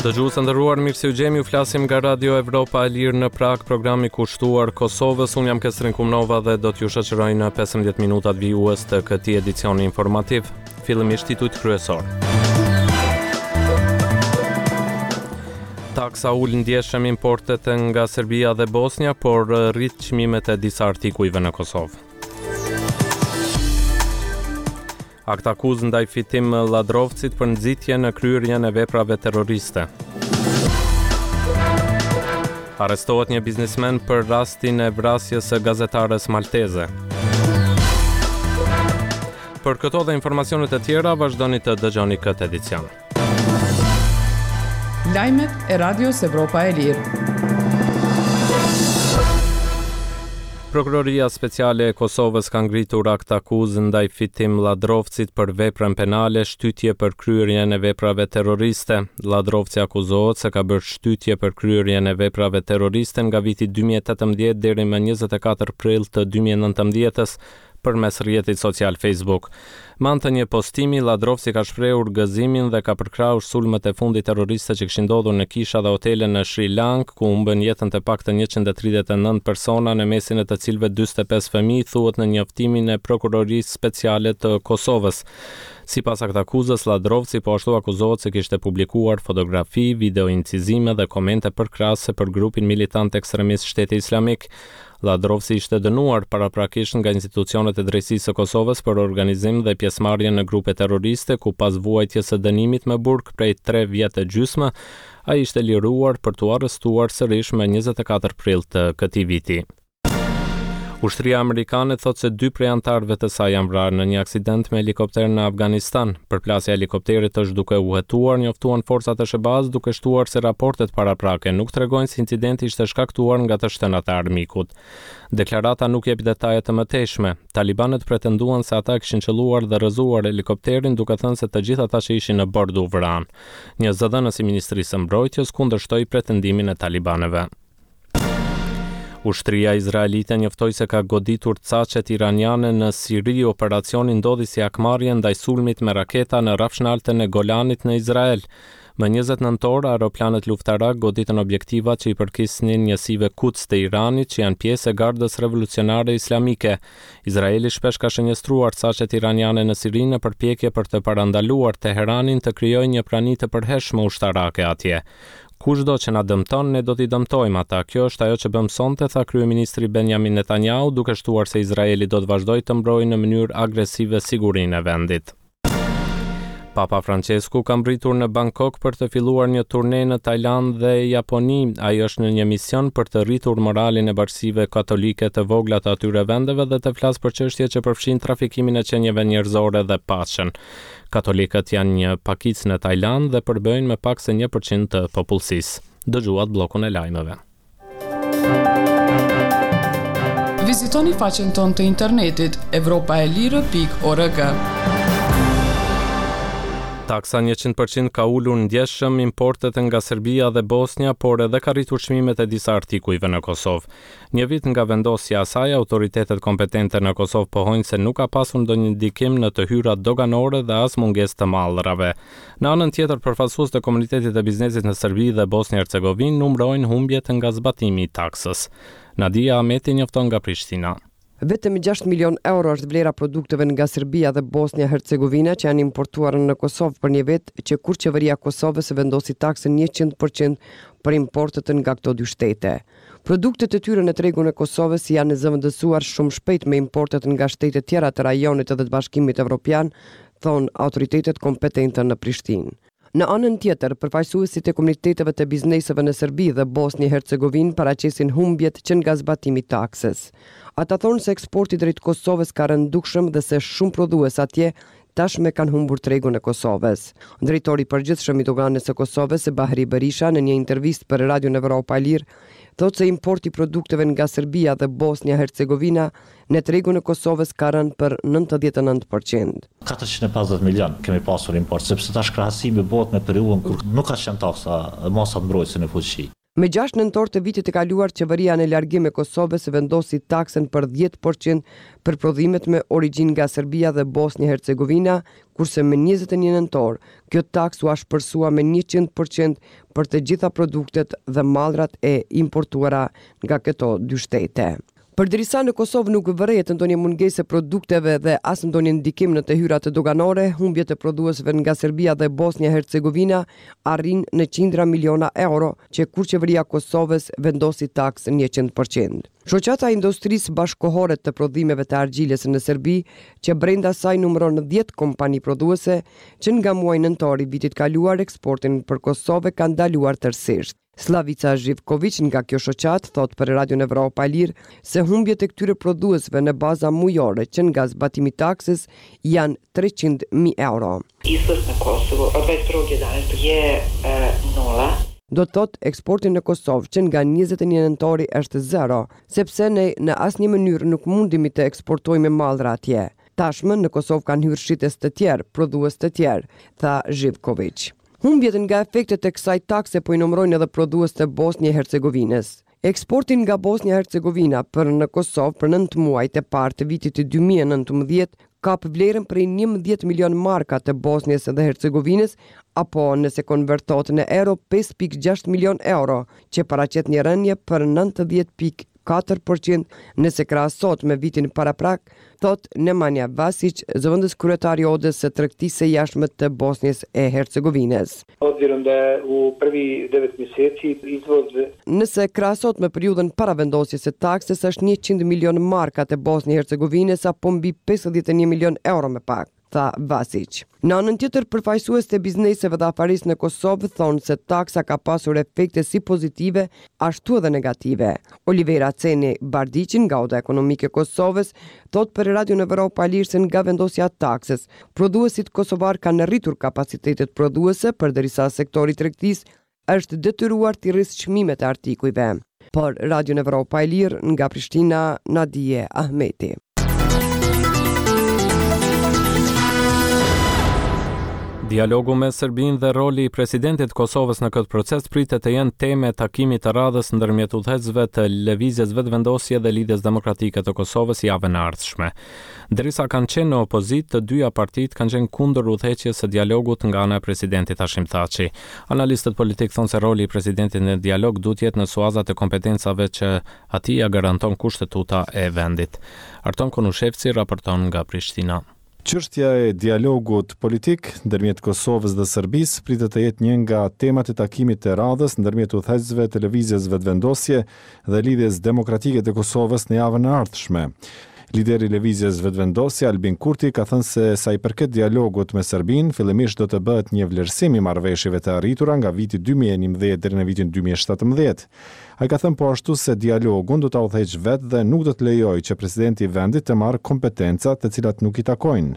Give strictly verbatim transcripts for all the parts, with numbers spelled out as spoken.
Dëgjues të nderuar, mirë se ju gjemi, ju flasim nga Radio Evropa e Lirë në Prag, programi kushtuar Kosovës. Unë jam Kestrin Kumnova dhe do t'ju shoqëroj në pesëmbëdhjetë minutat vijues të këtij edicioni informativ. Fillimisht titujt kryesor. Taksa ul ndjeshëm importet nga Serbia dhe Bosnja, por rrit çmimet e disa artikujve në Kosovë. Aktakuzë ndaj Fitim Lladrovcit për nxitje në kryerjen e veprave terroriste. Arrestohet një biznesmen për rastin e vrasjes së gazetares malteze. Për këto dhe informacionet e tjera, vazhdoni të dëgjoni këtë edicion. Lajmet e Radios Evropa e Lirë. Prokuroria Speciale e Kosovës ka ngritur aktakuzë ndaj Fitim Lladrovcit për veprën penale shtytje për kryerjen e veprave terroriste. Lladrovci akuzohet se ka bërë shtytje për kryerjen e veprave terroriste nga viti dy mijë e tetëmbëdhjetë deri më njëzet e katër prill të dy mijë e nëntëmbëdhjetës përmes rrjetit social Facebook. Me anë të një postimi, Lladrovci ka shprehur gëzimin dhe ka përkrahur sulmet e fundit terroriste që kishin ndodhur në kisha dhe hotele në Sri Lankë, ku humbën jetën të paktën njëqind e tridhjetë e nëntë persona, në mesin e të cilëve dyzet e pesë fëmijë, thuhet në njoftimin e Prokurorisë Speciale të Kosovës. Sipas aktakuzës, Lladrovci po ashtu akuzohet se kishte publikuar fotografi, videoincizime dhe komente përkrahëse për grupin militant ekstremist Shteti Islamik. Lladrovci ishte dënuar paraprakisht nga institucionet e drejtësisë së Kosovës për organizim dhe pjesëmarrje në grupe terroriste, ku pas vuajtjes së dënimit me burg prej tre vjet e gjysmë, ai ishte liruar për t'u arrestuar sërish më njëzet e katër prill të këtij viti. Ushtria amerikane thotë se dy prej anëtarëve të saj janë vrarë në një aksident me helikopter në Afganistan. Përplasja e helikopterit është duke u hetuar, njoftuan forcat e S H B A-s, duke shtuar se raportet paraprake nuk tregojnë se incidenti ishte shkaktuar nga të shtënat e armikut. Deklarata nuk jep detaje të mëtejshme. Talibanët pretenduan se ata kishin qelluar dhe rrëzuar helikopterin, duke thënë se të gjithë ata që ishin në bord u vranë. Një zëdhënës i Ministrisë së Mbrojtjes kundërshtoi pretendimin e talibanëve. Ushtria izraelite njoftoi se ka goditur caqet iraniane në Siri. Operacioni ndodhi si hakmarrje ndaj sulmit me raketa në rrafshnaltën e Golanit në Izrael. Më njëzet nëntor, aeroplanët luftarak goditën objektivat që i përkisnin njësive Quds të Iranit, që janë pjesë e Gardës Revolucionare Islamike. Izraeli shpesh ka shënjestruar caqet iraniane në Siri në përpjekje për të parandaluar Teheranin të krijojë një prani të përhershme ushtarake atje. Kushdo që na dëmton, ne do t'i dëmtojmë ata. Kjo është ajo që bëm sonte, tha kryeministri Benjamin Netanyahu, duke shtuar se Izraeli do të vazhdojë të mbrojë në mënyrë agresive sigurinë e vendit. Papa Francesku ka mbërritur në Bangkok për të filluar një turne në Tajlandë dhe Japoni. Ai është në një mision për të rritur moralin e bashkësive katolike të vogla të atyre vendeve dhe të flasë për çështje që përfshin trafikimin e qenieve njerëzore dhe paqen. Katolikët janë një pakicë në Tajlandë dhe përbëjnë më pak se një përqind të popullsisë. Dëgjuat bllokun e lajmeve. Vizitoni faqen tonë të internetit evropa e lirë pikë org. Taksa njëqind përqind ka ulur ndjeshëm importet nga Serbia dhe Bosnja, por edhe ka rritur çmimet e disa artikujve në Kosovë. Një vit nga vendosja e saj, autoritetet kompetente në Kosovë pohojnë se nuk ka pasur ndonjë ndikim në të hyrat doganore dhe as mungesë të mallrave. Në anën tjetër, përfaqësues të komunitetit të biznesit në Serbi dhe Bosnjë Hercegovinë numërojnë humbjet nga zbatimi i taksës. Nadia Ahmeti njofton nga Prishtina. Vetëm gjashtë milion euro është vlera produkteve nga Serbia dhe Bosnja Hercegovina që janë importuar në Kosovë për një vit, që kur qeveria e Kosovës vendosi taksën njëqind përqind për importet nga këto dy shtete. Produktet e tyre në tregun e Kosovës janë zëvendësuar shumë shpejt me importet nga shtete tjera të rajonit dhe të Bashkimit Evropian, thonë autoritetet kompetente në Prishtinë. Në anën tjetër, përfaqësuesit e komuniteteve të bizneseve në Serbi dhe Bosnjë Hercegovinë paraqesin humbjet që nga zbatimi i taksës. Ata thonë se eksporti drejt Kosovës ka rënë dukshëm dhe se shumë prodhues atje tashmë kanë humbur tregun e Kosovës. Drejtori i përgjithshëm i doganës së Kosovës, Bahri Berisha, në një intervistë për Radion Evropa e Lirë, thotë se importi i produkteve nga Serbia dhe Bosnja Hercegovina në tregun e Kosovës ka rënë për nëntëdhjetë e nëntë përqind. katërqind e pesëdhjetë milion kemi pasur import, sepse tash krahasimi bëhet me periudhën kur nuk ka qenë taksa, masat mbrojtëse në fuqi. Me gjashtë nëntor të vitit të kaluar, qeveria në largim e Kosovës vendosi taksën për dhjetë për qind për prodhimet me origjinë nga Serbia dhe Bosnjë Hercegovina, kurse me njëzet e një nëntor, kjo taksë u ashpërsua me njëqind për qind për të gjitha produktet dhe mallrat e importuara nga këto dy shtete. Përderisa në Kosovë nuk vërehet ndonjë mungesë e produkteve dhe as ndonjë ndikim në të hyrat doganore, humbjet e prodhuesve nga Serbia dhe Bosnja Hercegovina arrin në qindra miliona euro, që kur qeveria e Kosovës vendosi taksën njëqind për qind. Shoqata e Industrisë Bashkëkohore të Prodhimeve të Argjilës në Serbi, që brenda saj numëron dhjetë kompani prodhuese, që nga muaji nëntor i vitit kaluar eksportin për Kosovë kanë ndaluar tërësisht. Slavica Zhivkoviq nga kjo shoqatë thot për Radion Evropa e Lirë se humbjet e këtyre prodhuesve në baza mujore që nga zbatimi i taksës janë treqind mijë euro. Izvoz në Kosovo od dvadeset prvog jedanaestog je, e, nula. Do të thotë eksporti në Kosovë që nga njëzet e një nëntori është zero, sepse ne në asnjë mënyrë nuk mundemi të eksportojmë mallra atje. Tashmë në Kosovë kanë hyrë shitës të tjerë, prodhues të tjerë, tha Zhivkoviq. Humbjet nga efektet e kësaj takse po i numërojnë edhe prodhues të Bosnjë e Hercegovinës. Eksporti nga Bosnja e Hercegovina për në Kosovë për nëntë muajt e parë të vitit dy mijë e nëntëmbëdhjetë kap vlerën prej njëmbëdhjetë milion marka të Bosnjës dhe Hercegovinës, apo nëse konvertohet në euro pesë pikë gjashtë milion euro, që paraqet një rënje për nëntëdhjetë pikë katër përqind nëse krahasohet me vitin paraprak, thot Nemanja Vasić, zëvendës kryetar i Odës së Tregtisë së Jashtme të Bosnjës e Hercegovinës. Obzirom da je u prvi devet mjeseci izvoz Nëse krahasohet me periudhën para vendosjes së taksës është njëqind milion marka të Bosnjë e Hercegovinës apo mbi pesëdhjetë e një milion euro më pak, tha Vasić. Në anën tjetër, përfaqësues të bizneseve dhe afarisë në Kosovë thonë se taksa ka pasur efekte si pozitive, ashtu edhe negative. Olivera Ceni Bardiqin nga Oda Ekonomike e Kosovës thotë për Radion Evropa e Lirë se nga vendosja e taksës, prodhuesit kosovar kanë rritur kapacitetet prodhuese, përderisa sektori i tregtisë është detyruar t'i rrisë çmimet e artikujve. Për Radion Evropa e Lirë nga Prishtina, Nadie Ahmeti. Dialogu me Serbinë dhe roli i presidentit të Kosovës në këtë proces pritet të jenë teme e takimit të radhës ndërmjet udhëheqësve të Lëvizjes Vetëvendosje dhe Lidhjes Demokratike të Kosovës javën e ardhshme. Derisa kanë qenë në opozitë, të dyja partitë kanë qenë kundër udhëheqjes së dialogut nga ana e presidentit Hashim Thaçi. Analistët politik thonë se roli i presidentit në dialog duhet jetë në suazat e kompetencave që atij ia garanton kushtetuta e vendit. Arton Konushevci raporton nga Prishtina. Çështja e dialogut politik ndërmjet Kosovës dhe Serbisë pritet të jetë një nga temat e takimit të radhës ndërmjet udhëheqësve të Lëvizjes Vetëvendosje dhe Lidhjes Demokratike të Kosovës në javën e ardhshme. Lideri i Lëvizjes Vetëvendosje Albin Kurti ka thënë se sa i përket dialogut me Serbinë, fillimisht do të bëhet një vlerësim i marrëveshjeve të arritura nga viti dy mijë e njëmbëdhjetë deri në vitin dy mijë e shtatëmbëdhjetë. Ai ka thënë po ashtu se dialogun do ta udhëheqë vetë dhe nuk do të lejojë që presidenti i vendit të marrë kompetenca të cilat nuk i takojnë.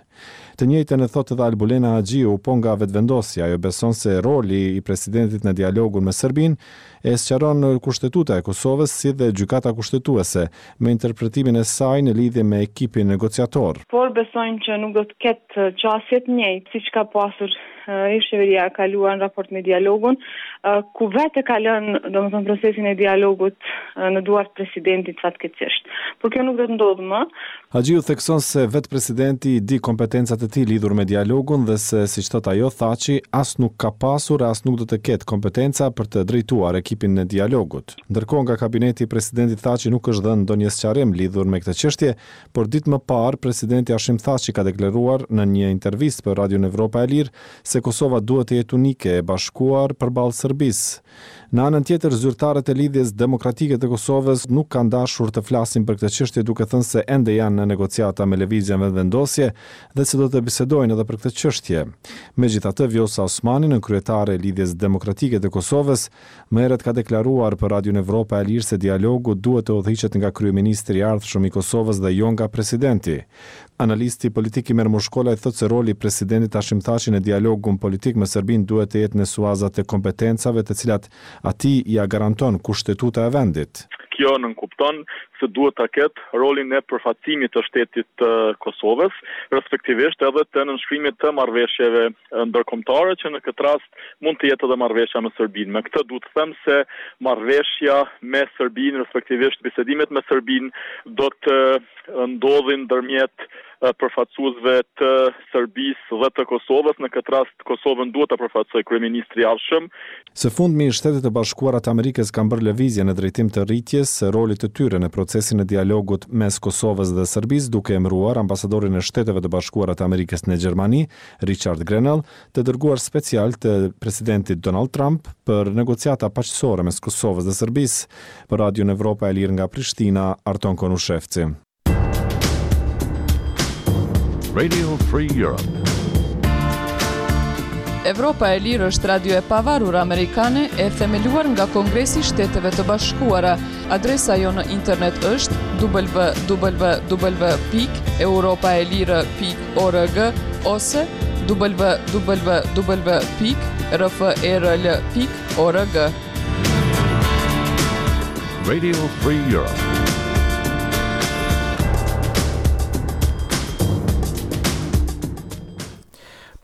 Të njëjtën e thotë edhe Albulena Haxhiu, po nga Vetëvendosja. Ajo beson se roli i presidentit në dialogun me Serbinë e sqaron Kushtetuta e Kosovës si dhe Gjykata Kushtetuese me interpretimin e saj në lidhje me ekipin negociator. Por besojmë që nuk do të ketë qasje të njëjtë siç ka pasur, eh, ish qeveria e kaluar në raport me dialogun, eh, ku vetë e ka lënë, domethënë, procesin e dialogut, eh, në duart presidentit fatkeqësisht. Por kjo nuk do të ndodhë më. Haxhiu thekson se vetë presidenti i di kompetencat e tij lidhur me dialogun dhe se, siç thot ajo, Thaçi as nuk ka pasur e as nuk do të ketë kompetenca për të drejtuar ekipin e dialogut. Ndërkohë nga kabineti i presidentit Thaçi nuk është dhënë ndonjë sqarim lidhur me këtë çështje, por ditë më parë presidenti Hashim Thaçi ka deklaruar në një intervistë për Radion Evropa e Lirë se Kosova duhet të jetë unike e bashkuar përballë Serbisë. Në anën tjetër, zyrtarët e Lidhjes Demokratike të Kosovës nuk kanë dashur të flasin për këtë çështje, duke thënë se ende janë në negociata me Lëvizjen Vetëvendosje dhe se do të bisedojnë edhe për këtë çështje. Megjithatë, Vjosa Osmani, nënkryetare e Lidhjes Demokratike të Kosovës, më herët ka deklaruar për Radion Evropa e Lirë se dialogu duhet të udhëhiqet nga kryeministri i ardhshëm i Kosovës dhe jo nga presidenti. Analisti politik Imer Mushkolaj thotë se roli i presidentit Hashim Thaçi në dialogun politik me Serbinë duhet të jetë në suazat e kompetencave të cilat atij ia garanton kushtetuta e vendit. Kjo nënkupton se duhet ta ketë rolin e përfaqësimit të shtetit të Kosovës, respektivisht edhe të nënshkrimit të marrëveshjeve ndërkombëtare, që në këtë rast mund të jetë edhe marrëveshja me Serbinë. Me këtë du të them se marrëveshja me Serbinë, respektivisht bisedimet me Serbinë, do të ndodhin ndërmjet përfaqësuesve të Serbisë dhe të Kosovës. Në këtë rast Kosovën duhet ta përfaqësojë kryeministri i ardhshëm. Së fundmi, Shtetet e Bashkuara të Amerikës kanë bërë lëvizje në drejtim të rritjes së rolit të tyre në procesin e dialogut mes Kosovës dhe Serbisë, duke emëruar ambasadorin e Shteteve të Bashkuara të Amerikës në Gjermani, Richard Grenell, të dërguar special të presidentit Donald Trump për negociata paqësore mes Kosovës dhe Serbisë. Për Radion Evropa e Lirë nga Prishtina, Arton Konushevci. Radio Free Europe. Evropa e Lirë është radio e pavarur amerikane e themeluar nga Kongresi i Shteteve të Bashkuara. Adresa jonë në internet është w w w pikë europaelire pikë org ose w w w pikë r f e r l pikë org. Radio Free Europe.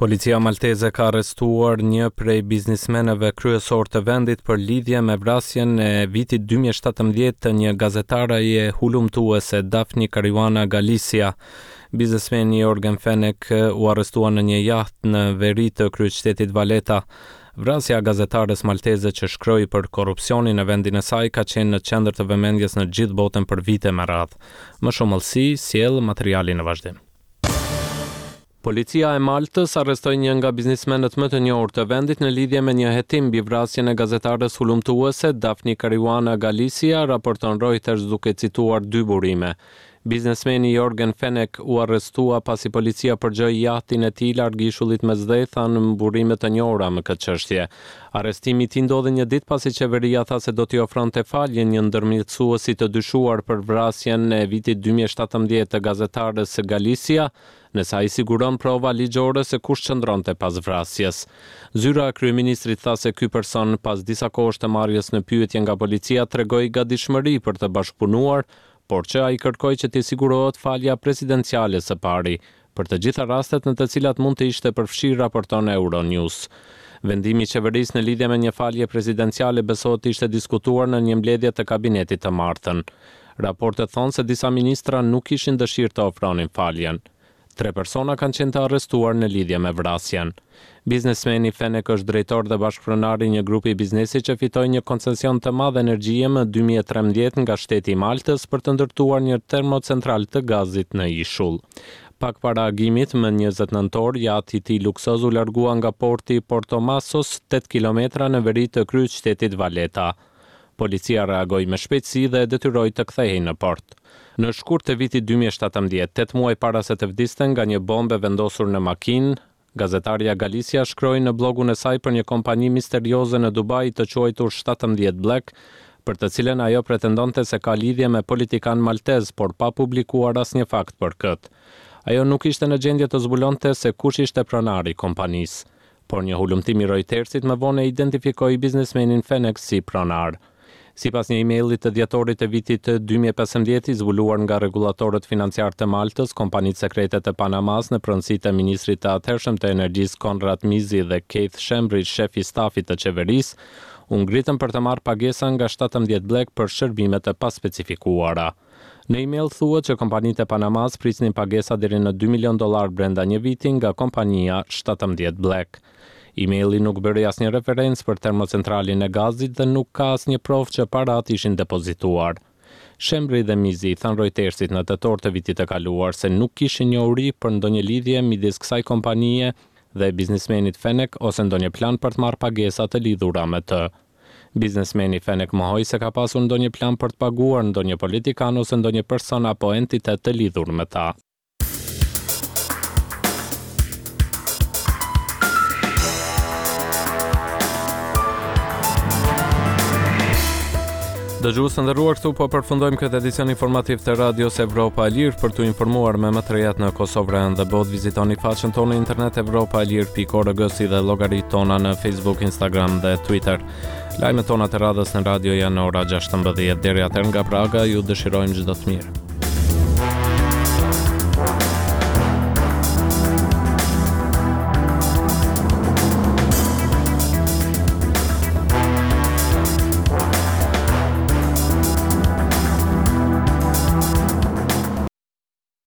Policia malteze ka arrestuar një prej biznismenëve kryesor të vendit për lidhje me vrasjen e vitit dy mijë e shtatëmbëdhjetë të një gazetareje hulumtuese, Daphne Caruana Galizia. Biznesmeni Yorgen Fenech u arrestua në një jaht në veri të kryeqytetit Valeta. Vrasja e gazetares malteze që shkroi për korrupsionin në vendin e saj ka qenë në qendër të vëmendjes në gjithë botën për vite me radhë. Më shumë hollësi sjell materiali në vazhdim. Policia e Maltës arrestoi një nga biznesmenët më të njohur të vendit në lidhje me një hetim mbi vrasjen e gazetares hulumtuese Daphne Caruana Galizia, raporton Reuters duke cituar dy burime. Biznesmeni Yorgen Fenech u arrestua pasi policia përgjoi jahtin e tij larg ishullit Mesdhe, thanë burime të njohura me këtë çështje. Arrestimi i tij ndodhi një ditë pasi qeveria tha se do t'i ofronte falje një ndërmjetësuesi të dyshuar për vrasjen e vitit dy mijë e shtatëmbëdhjetë të gazetares Galizia, nëse ai siguron prova ligjore se kush qëndronte pas vrasjes. Zyra e kryeministrit tha se ky person, pas disa kohësh të marrjes në pyetje nga policia, tregoi gatishmëri për të bashkëpunuar, por që ai kërkoi që t'i sigurohet falja presidenciale së pari, për të gjitha rastet në të cilat mund të ishte përfshirë, raporton Euronews. Vendimi i qeverisë në lidhje me një falje presidenciale besohet të ishte diskutuar në një mbledhje të kabinetit të martën. Raportet thonë se disa ministra nuk kishin dëshirë të ofronin faljen. Tre persona kanë qenë të arrestuar në lidhje me vrasjen. Biznesmeni Fenech është drejtor dhe bashkëpronar i një grupi biznesi që fitoi një koncesion të madh energjie më dy mijë e trembëdhjetë nga shteti i Maltës për të ndërtuar një termocentral të gazit në ishull. Pak para agimit, më njëzet nëntor, jahti i tij luksoz u largua nga porti Portomasos, tetë kilometra në veri të kryeqytetit Valeta. Policia reagoi me shpejtësi dhe e detyroi të kthehej në port. Në shkurt të vitit dy mijë e shtatëmbëdhjetë, tetë muaj para se të vdiste nga një bombë e vendosur në makinë, gazetarja Galizia shkroi në blogun e saj për një kompani misterioze në Dubai të quajtur shtatëmbëdhjetë Black, për të cilën ajo pretendonte se ka lidhje me politikan maltez, por pa publikuar asnjë fakt për këtë. Ajo nuk ishte në gjendje të zbulonte se kush ishte pronari i kompanisë, por një hulumtim i Reutersit më vonë e identifikoi biznesmenin Fenech si pronar. Sipas një emaili të dhjetorit të vitit dy mijë e pesëmbëdhjetë i zbuluar nga rregullatorët financiar të Maltës, kompanitë sekrete të Panamas në pronësi të ministrit të atëhershëm të energjisë Konrad Mizzi dhe Keith Schembri, shef i stafit të qeverisë, u ngritën për të marrë pagesa nga shtatëmbëdhjetë Black për shërbime të paspecifikuara. Në email thuhet që kompanitë e Panamas prisnin pagesa deri në dy milion dollar brenda një viti nga kompania shtatëmbëdhjetë Black. Emaili nuk bëri asnjë referencë për termocentralin e gazit dhe nuk ka asnjë provë që parat ishin depozituar. Schembri dhe Mizzi i thanë Reutersit në tetor të vitit të kaluar se nuk kishin njohuri për ndonjë lidhje midis kësaj kompanie dhe biznesmenit Fenech ose ndonjë plan për të marrë pagesa të lidhura me të. Biznesmeni Fenech mohoi se ka pasur ndonjë plan për të paguar ndonjë politikan ose ndonjë person apo entitet të lidhur me ta. Dëgjues të nderuar, këtu po përfundojmë këtë edicion informativ të Radios Evropa e Lirë. Për t'u informuar me më të rejat në Kosovë, rajon dhe botë, vizitoni faqen tonë në internet evropaelir pikë org si dhe llogaritë tona në Facebook, Instagram dhe Twitter. Lajmet tona të radhës në radio janë në ora gjashtëmbëdhjetë. Deri atëherë nga Praga ju dëshirojmë çdo të mirë.